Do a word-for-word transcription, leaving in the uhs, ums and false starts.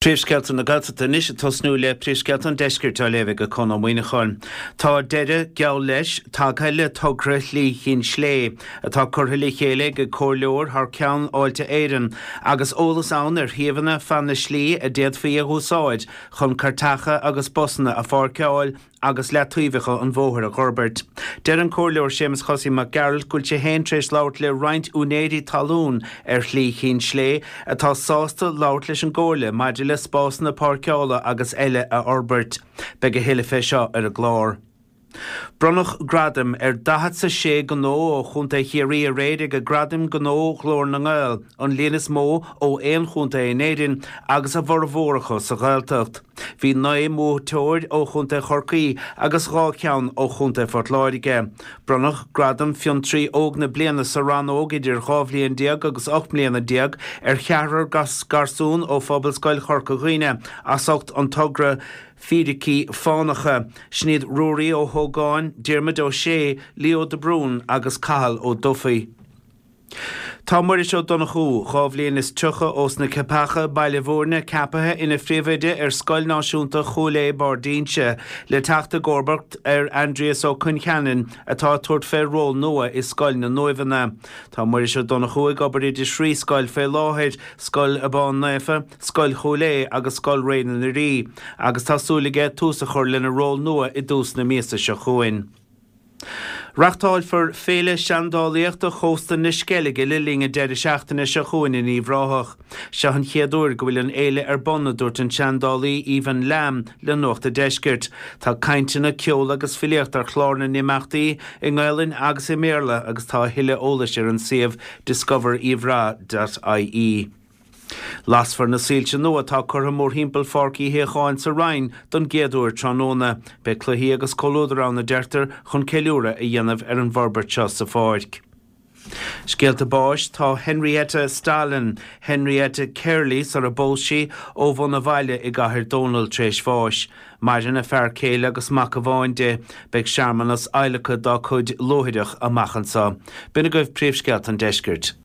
Príomhscéalta na Gaeltachta anois ag tosnú le príomhscéalta an deiscirt á léamh ag Conn Ó Muíneacháin. Tá deireadh, geall leis, tagtha le togra Shlí Chinn Slé, atá curtha le chéile ag comhairleoir thar ceann Fháilte Éireann, agus eolas ann ar shuíomhanna feadh na slí a d'fhéadfaí a úsáid chun cairteacha agus busanna a pháirceáil agus leataobhacha an bhóthair a fhorbairt. Deir an Comhairleoir Séamus Chosaí Mac Gearailt go bhfuil sé féin tar éis labhairt le roinnt úinéirí talún ar Shlí Chinn Slé atá sásta labhairt leis an gComhairle maidir le spásanna páirceála agus eile a fhorbairt. Beidh a thuilleadh fé seo ar an gclár. Bronnadh gradaim ar daichead is a sé gnó ó Chontae Chiarraí aréir ag Gradaim Gnó Ghlór na nGael, an líon is mó ó aon chontae in Éirinn agus a bhformhór acu sa Ghaeltacht. Bhí naoi mbuaiteoir ó Chontae Chorcaí agus dhá cheann ó Chontae Phort Láirge. Bronnadh Gradam Fiontraí Óg na Bliana sa rannóg idir dhá bhliain déag agus ocht mbliana déag ar cheathrar garsún ó Phobalscoil Chorca Dhuibhne as ucht an togra Fíricí Fánacha. Sin iad Ruairí Ó hÓgáin, Diarmuid Ó Sé, Leo de Brún agus Cathal Ó Dufaigh. Tá Muiris Ó Donnchú, dhá bhliain is tríocha ós na Ceapacha, Baile Bhúirne, ceapaithe ina phríomhoide ar Scoil Náisiúnta Chúil Aodha, Barr d'Inse, le teacht i gcomharbacht ar Aindrias Ó Concheanainn atá ag tabhairt fé ról nua i Scoil na nUaimheanna. Tá Muiris Ó Donnchú ag obair i dtrí scoil fé láthair, Scoil Abán Naofa, Scoil Chúil Aodha agus Scoil Réidh na Rí, agus tá súil aige tús a chur lena ról nua i dtús na míosa seo chugainn. Reáchtálfar Féile Seandálaíochta Chósta na Sceilge le linn an deireadh seachtaine seo chugainn in Uíbh Ráthach. Seo an chéad uair go bhfuil an fhéile ar bun, a dúirt an seandálaí Aoibheann Lamb le Nuacht an Deiscirt. Tá cainteanna, ceol agus filíocht ar chlár na n-imeachtaí i nGaelainn agus i mBéarla agus tá a thuilleadh eolais ar an suíomh discoveruibhrath.ie. Lasfar na soilse nua atá curtha mórthimpeall Pháirc Uí Shíocháin sa Rinn don gcéad uair tráthnóna. Beidh cluichí agus comhluadar ann a deirtear chun ceiliúradh a dhéanamh ar an bhforbairt seo sa pháirc. Scéalta báis tá Henrietta Stalin, Henrietta Kerley sar a bpós sí ó Bhun an Bhaile i gCathair Dónall tar éis bháis. Maireann a fear céile agus mac amháin di, beidh searmanas adhlactha dá cuid luaithreach amach anseo. B'in agaibh príomhscéalta an deiscirt.